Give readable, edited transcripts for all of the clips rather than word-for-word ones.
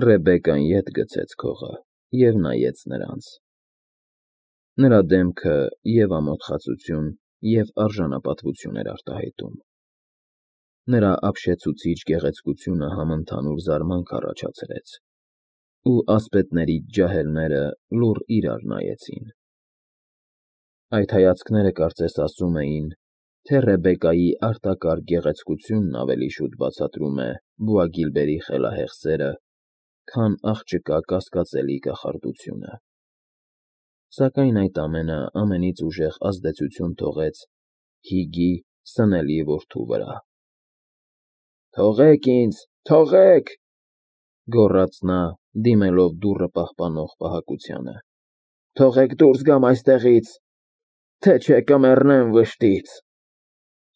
Ռեբեկան ետ գցեց քողը և նայեց նրանց. նրա դեմքը և՛ ամոթխածություն, և՛ արժանապատվություն էր արտահայտում. նրա ապշեցուցիչ գեղեցկությունը համընդհանուր զարմանք առաջացրեց, ու ասպետներից ջահելները լուռ իրար նայեցին. այդ հայացքները կարծես ասում էին, թե Ռեբեկայի արտակարգ գեղեցկությունն ավելի շուտ բացատրում է Բոագիլբերի խելահեղ սերը, քան աղջկա կասկածելի կախարդությունը, սակայն այդ ամենը ամենից ուժեղ ազդեցություն թողեց Հիգի սնելի որդու վրա։ «Թողեք ինձ, թողեք,֊ գոռաց նա, դիմելով դուռը պահպանող պահակությանը,֊ թողեք դուրս գամ այստեղից, թե չէ կմեռնեմ վշտից,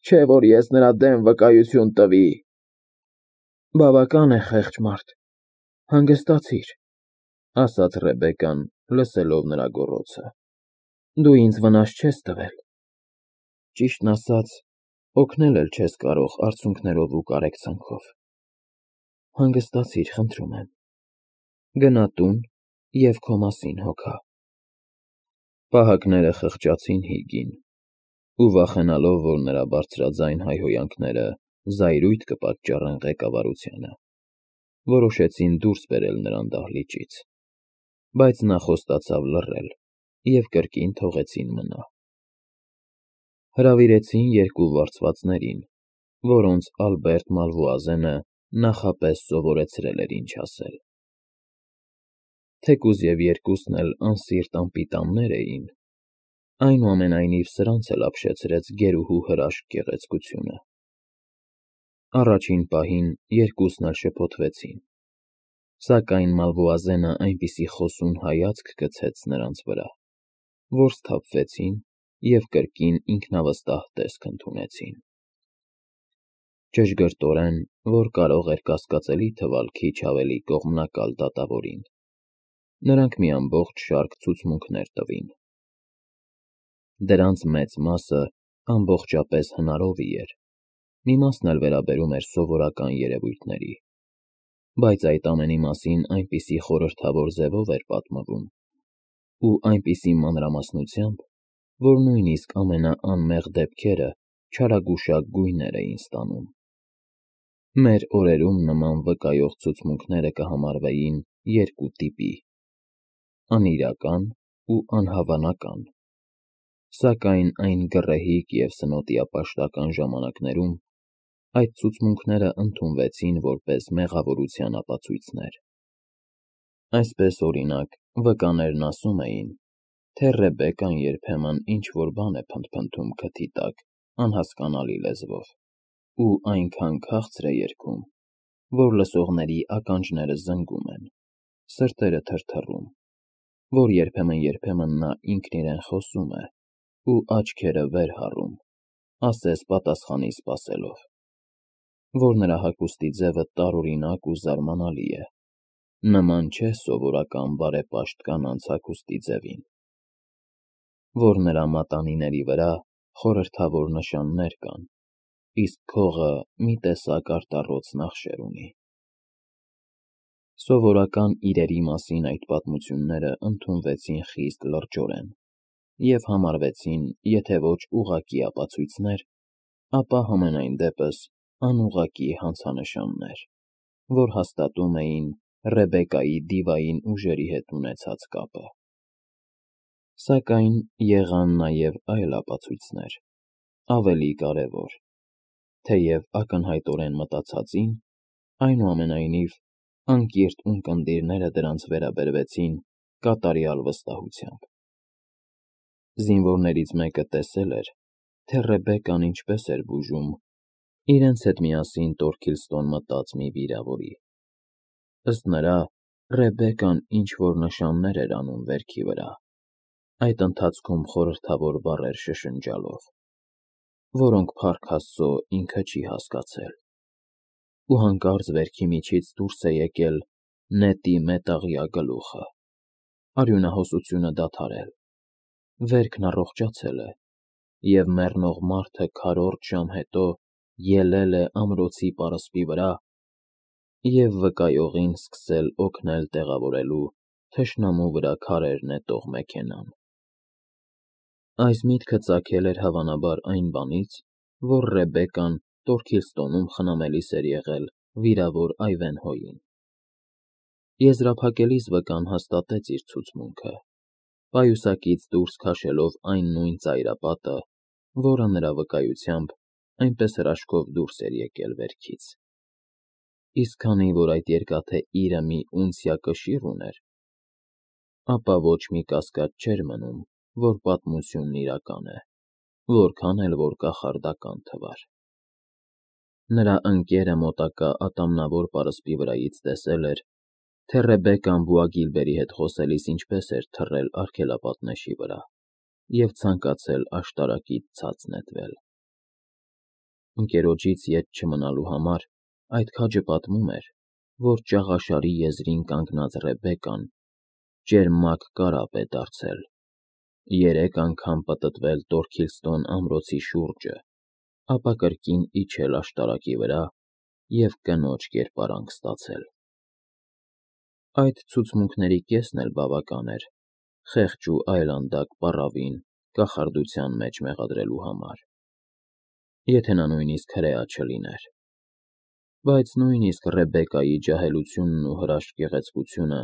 չէ որ ես նրա դեմ վկայություն տվի»։ «Բավական է, խեղճ մարդ, հանգստացիր,֊ ասաց Ռեբեկան, լսելով նրա գոռոցը,֊ դու ինձ վնաս չես տվել, ճիշտն ասած, օգնել էլ չես կարող արցունքներով ու կարեկցանքով, հանգստացիր, խնդրում եմ, գնա տուն և քո մասին հոգա»։ Պահակները խղճացին Հիգին ու, վախենալով, որ նրա բարձրաձայն հայհոյանքները զայրույթ կպատճառեն ղեկավարությանը, որոշեցին դուրս բերել նրան դահլիճից, բայց նա խոստացավ լռել և կրկին թողեցին մնա։ Հրավիրեցին երկու վարձվածներին, որոնց Ալբերտ Մալվոազենը նախապես սովորեցրել էր ինչ ասել։ Թեկուզ և երկուսն էլ անսիրտ անպիտաններ էին, այնուամենայնիվ սրանց էլ ապշեցրեց գերուհու հրաշք գեղեցկությունը։ Առաջին պահին երկուսն էլ շփոթվեցին, սակայն Մալվոազենը այնպիսի խոսուն հայացք գցեց նրանց վրա, որ սթափվեցին և կրկին ինքնավստահ տեսք ընդունեցին։ Ճշգրտորեն, որ կարող էր կասկածելի թվալ քիչ ավելի կողմնակալ դատավորին, նրանք մի ամբողջ շարք ցուցմունքներ տվին։ Դրանց մեծ մասը ամբողջապես հնարովի էր, մի մասն էլ վերաբերում էր սովորական երևույթների, բայց այդ ամենի մասին այնպիսի խորհրդավոր ձևով էր պատմվում ու այնպիսի մանրամասնությամբ, որ նույնիսկ ամենաանմեղ դեպքերը չարագուշակ գույներ էին ստանում։ Մեր օրերում նման վկայող ցուցմունքները կհամարվեին երկու տիպի՝ անիրական ու անհավանական, սակայն այն գռեհիկ և սնոտիապաշտական ժամանակներում այդ ցուցմունքները ընդունվեցին որպես մեղավորության ապացույցներ։ Այսպես, օրինակ, վկաներն ասում էին, թե Ռեբեկան երբեմն ինչ-որ բան է փնթփնթում քթի տակ անհասկանալի լեզվով ու այնքան քաղցր է երգում, որ լսողների ականջները զնգում են, սրտերը թրթռում, որ երբեմն նա ինքն իրեն խոսում է ու աչքերը վեր հառում, ասես պատասխանի սպասելով, որ նրա հագուստի ձևը տարօրինակ ու զարմանալի է, նման չէ սովորական բարեպաշտ կանանց հագուստի ձևին, որ նրա մատանիների վրա խորհրդավոր նշաններ կան, իսկ քողը մի տեսակ արտառոց նախշեր ունի։ Սովորական իրերի մասին այդ պատմությունները ընդունվեցին խիստ լրջորեն և համարվեցին եթե ոչ ուղղակի ապացույցներ, ապա համենայն դեպս անուղղակի հանցանշաններ, որ հաստատում էին Ռեբեկայի դիվային ուժերի հետ ունեցած կապը։ Սակայն եղան նաև այլ ապացույցներ, ավելի կարևոր, թեև ակնհայտորեն մտածածին, այնուամենայնիվ անկիրք ունկնդիրները դրանց վերաբերվեցին կատարյալ վստահությամբ։ Զինվորներից մեկը տեսել էր, թե Ռեբեկան ինչպես էր բուժում իրենց հետ միասին Տորքիլստոն մտած մի վիրավորի։ Ըստ նրա, Ռեբեկան ինչ-որ նշաններ էր անում վերքի վրա, այդ ընթացքում խորհրդավոր բառեր շշնջալով, որոնք Փառք Աստծո ինքը չի հասկացել, ու հանկարծ վերքի միջից դուրս է եկել նետի մետաղյա գլուխը, արյունահոսությունը դադարել, վերքն առողջացել է, և մեռնող մարդը քառորդ ժամ հետո ելել է ամրոցի պարսպի վրա և վկայողին սկսել օգնել տեղավորելու թշնամու վրա քարեր նետող մեքենան։ Այս միտքը ծագել էր հավանաբար այն բանից, որ Ռեբեկան Տորքիլստոնում խնամելիս էր եղել վիրավոր Այվենհոյին։ Եզրափակելիս վկան հաստատեց իր ցուցմունքը, պայուսակից դուրս քաշելով այն նույն ծայրապատը, որը նրա վկայությամբ այնպես հրաշքով դուրս էր եկել վերքից։ Իսկ քանի որ այդ երկաթե իրը մի ունցիա կշիռ ուներ, ապա ոչ մի կասկած չէր մնում, որ պատմությունն իրական է, որքան էլ որ կախարդական թվար։ Նրա ընկերը մոտակա ատամնավոր պարսպի վրայից տեսել էր, թե Ռեբեկան Բուագիլբերի հետ խոսելիս ինչպես էր թռել արգելապատնեշի վրա և ցանկացել աշտարակից ցած նետվել։ Ընկերոջից ետ չմնալու համար այդ քաջը պատմում էր, որ ճաղաշարի եզրին կանգնած Ռեբեկան ճերմակ կարապ է դարձել, 3 անգամ պտտվել Տորքիլստոն ամրոցի շուրջը, ապա կրկին իջել աշտարակի վրա և կնոջ կերպարանք ստացել։ Այդ ցուցմունքների կեսն էլ բավական էր խեղճ ու այլանդակ պառավին կախարդության մեջ մեղադրելու համար, եթե նա նույնիսկ հրեա չլիներ։ Բայց նույնիսկ Ռեբեկայի ջահելությունն ու հրաշք գեղեցկությունը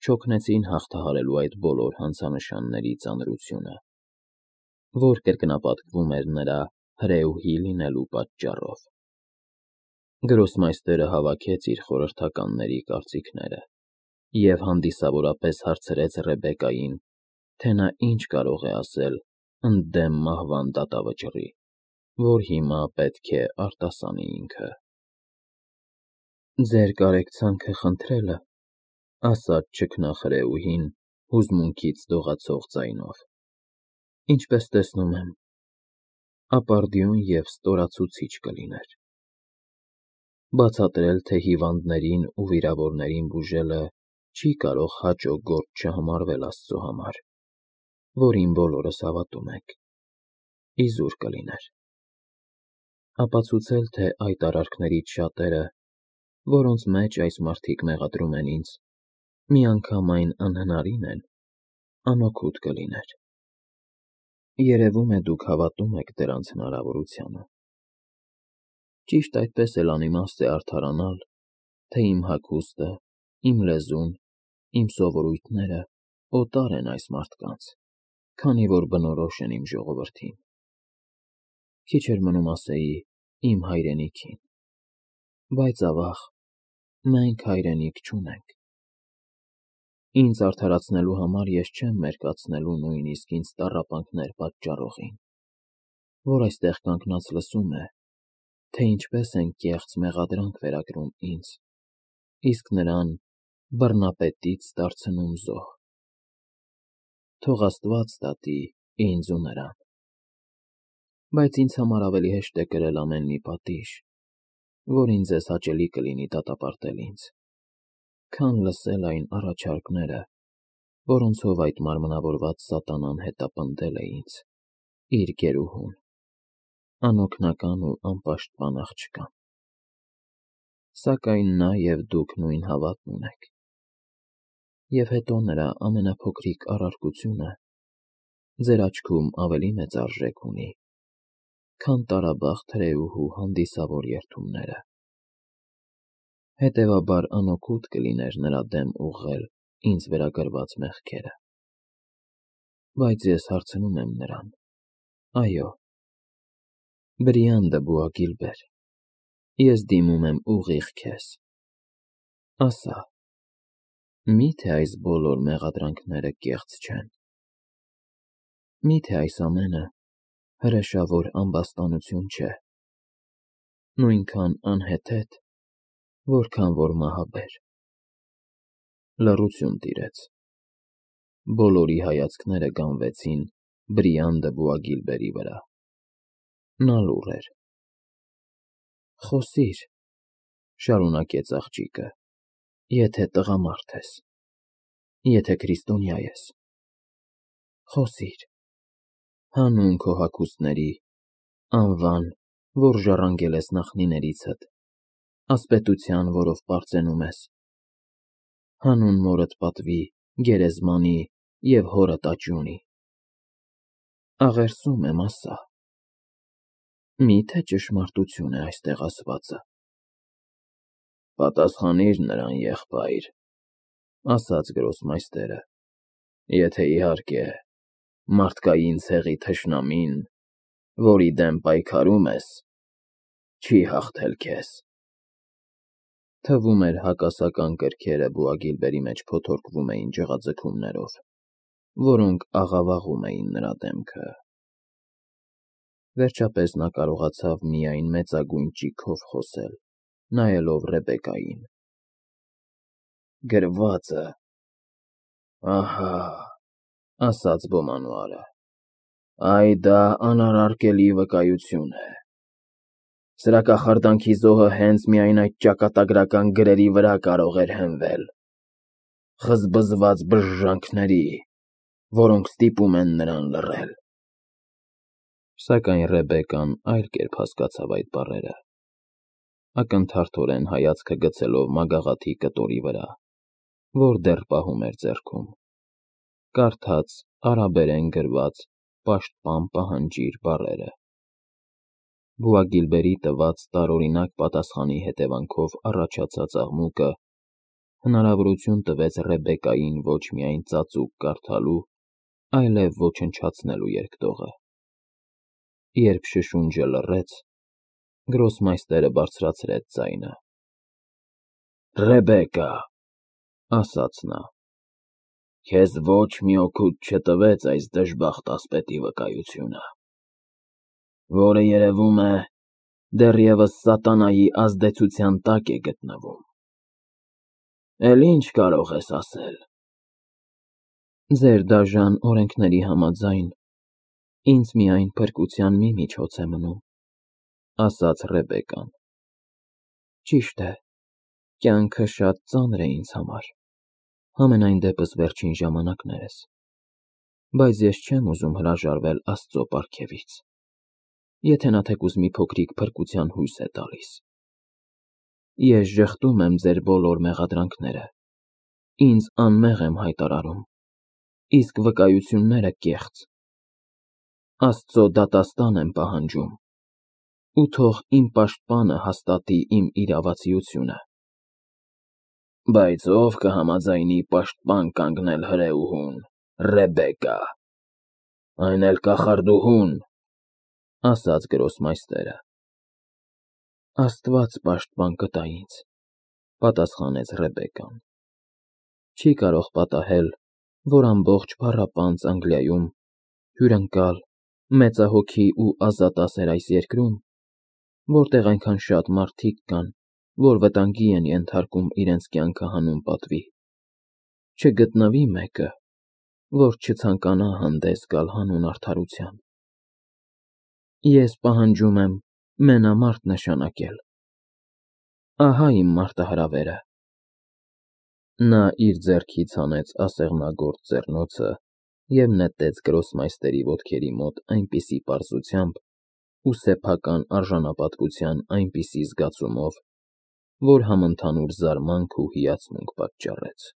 չօգնեցին հաղթահարելու այդ բոլոր հանցանշանների ծանրությունը, որ կրկնապատկվում էր նրա հրեուհի լինելու պատճառով։ Գրոսմայստերը հավաքեց իր խորհրդականների կարծիքները և հանդիսավորապես հարցրեց Ռեբեկային, թե նա ինչ կարող է ասել ընդդեմ մահվան դատավճռի, որ հիմա պետք է արտասանի ինքը։ «Ձեր կարեկցանքը խնդրելը,» ասաց ճգնախրեուհին հուզմունքից դողացող ձայնով, «ինչպես տեսնում եմ, ապարդյուն և ստորացուցիչ կլիներ։ Բացատրել, թե հիվանդներին ու վիրավորներին բուժելը չի կարող հաճո գործ չհամարվել Աստծո համար, որին բոլորս հավատում ենք, իզուր կլիներ։ Ապացուցել, թե այդ արարքներից շատերը, որոնց մեջ այս մարդիկ մեղադրում են ինձ, միանգամայն անհնարին են, անօգուտ կլիներ։ Երևում է, դուք հավատում եք դրանց հնարավորությանը։ Ճիշտ այդպես էլ անիմաստ է արդարանալ, թե իմ հագուստը, իմ լեզուն, իմ սովորույթները օտար են այս մարդկանց, քանի որ բնորոշ են իմ ժողովրդին։ Քիչ էր մնում ասեի իմ հայրենիքին, բայց ավաղ, մենք հայրենիք չունենք։ Ինձ արդարացնելու համար ես չեմ մերկացնելու նույնիսկ ինձ տառապանքներ պատճառողին, որ այստեղ կանգնած լսում է, թե ինչպես են կեղծ մեղադրանք վերագրում ինձ, իսկ նրան բռնապետից դարձնում զոհ։ Թող Աստված դատի ինձ ու նրան։ Բայց ինձ համար ավելի հեշտ է կրել ամեն մի պատիժ, որին ձեզ հաճելի կլինի դատապարտել ինձ, քան լսել այն առաջարկները, որոնցով այդ մարմնավորված սատանան հետապնդել է ինձ, իր գերուհուն, անօգնական ու անպաշտպան աղջկան։ Սակայն նա և դուք նույն հավատն ունեք։ Եվ հետո նրա ամենափոքրիկ առարկությունը ձեր աչքում ավելի մեծ արժեք ունի, քան տարաբախտ հրեուհու հանդիսավոր երդումները։ Հետևաբար անօգուտ կլիներ նրա դեմ ուղղել ինձ վերագրված մեղքերը։ Բայց ես հարցնում եմ նրան. «Այո, Բրիանդը Բուագիլբեր, ես դիմում եմ ուղիղ քեզ, ասա, մի՞թե այս բոլոր մեղադրանքները կեղծ չեն։ Մի՞թե այս ամենը հրեշավոր ամբաստանություն չէ, նույնքան անհեթեթ, որքան որ մահաբեր»։ Լռություն տիրեց։ Բոլորի հայացքները գանվեցին Բրիանդը Բուագիլբերի վրա։ Նա լուռ էր։ «Խոսիր,» շարունակեց աղջիկը, «եթե տղամարդ ես, եթե քրիստոնյա ես, խոսիր, հանուն քո հագուստների, անվան, որ ժառանգել ես նախնիներիցդ, ասպետության, որով պարծենում ես, հանուն մորդ պատվի, գերեզմանի և հորդ աճյունի, աղերսում եմ ասա, մի՞թե ճշմարտություն է այստեղ ասվածը։ Պատասխանիր նրան, եղբայր, ասաց գրոսմայստերը, եթե իհարկե մարդկային ցեղի թշնամին, որի դեմ պայքարում ես, չի հաղթել քեզ։ Թվում էր հակասական կրքերը Բուագիլբերի մեջ փոթորկվում էին ջղաձգումներով, որոնք աղավաղում էին նրա դեմքը։ Վերջապես նա կարողացավ միայն մեծագույն ճիգով խոսել, նայելով Ռեբեկային։ Գրվածը, ահա, ասաց Բոմանուալը, այ դա անարարկելի վկայություն է։ Սրա կախարդանքի զոհը հենց միայն այդ ճակատագրական գրերի վրա կարող էր հենվել, խզբզված բժժանքների, որոնք ստիպում են նրան լռել։ Սակայն Ռեբեկան այլ կերպ հասկացավ այդ բառերը, ակնթարթորեն հայացքը գցելով մագաղաթի կտորի վրա, որ դեռ պահում էր ձեռքում, կարդաց արաբերեն գրված «Պաշտպան պահանջիր» բառերը։ Բուագիլբերի տված տարօրինակ պատասխանի հետևանքով առաջացած աղմուկը հնարավորություն տվեց Ռեբեկային ոչ միայն ծածուկ կարդալու, այլև ոչնչացնելու երկտողը։ Երբ շշունջը լռեց, գրոսմայստերը բարձրացրեց ձայնը. Ռեբեկա, ասաց նա, քեզ ոչ մի օգուտ չտվեց այս դժբախտ ասպետի վկայությունը, որը, երևում է, դեռևս սատանայի ազդեցության տակ է գտնվում։ Էլ ինչ կարող ես ասել։ Ձեր դաժան օրենքների համաձայն, ինձ միայն փրկության մի միջոց է մնում, ասաց Ռեբեկան։ Ճիշտ է, կյանքը շատ ծանր է ինձ համար, համենայն դեպս վերջին ժամանակներս, բայց ես չեմ ուզում հրաժարվել Աստծո պարգևից, եթե նա թեկուզ մի փոքրիկ փրկության հույս է տալիս։ Ես ժխտում եմ ձեր բոլոր մեղադրանքները, ինձ անմեղ եմ հայտարարում, իսկ վկայությունները կեղծ։ Աստծո դատաստան եմ պահանջում, ու թող իմ պաշտպանը հաստատի իմ իրավացիությունը։ Բայց ով կհամաձայնի պաշտպան կանգնել հրեուհուն, Ռեբեկա, այն էլ կախարդուհուն, ասաց գրոսմայստերը։ Աստված պաշտպան կտա ինձ, պատասխանեց Ռեբեկան։ Չի կարող պատահել, որ ամբողջ փառապանծ Անգլիայում, հյուրընկալ, մեծահոգի ու ազատասեր այս երկրում, որտեղ այնքան շատ մարդիկ կան, որ վտանգի են ենթարկում իրենց կյանքը հանուն պատվի, չգտնվի մեկը, որ չցանկանա հանդես գալ հանուն արդարության։ Ես պահանջում եմ մենամարտ նշանակել։ Ահա իմ մարտահրավերը։ Նա իր ձեռքից հանեց ասեղնագործ ձեռնոցը և նետեց գրոսմայստերի ոտքերի մոտ այնպիսի պարզությամբ ու սեփական արժանապատվության այնպիսի զգացումով, որ համընդհանուր զարմանք ու հիացմունք պատճառեց։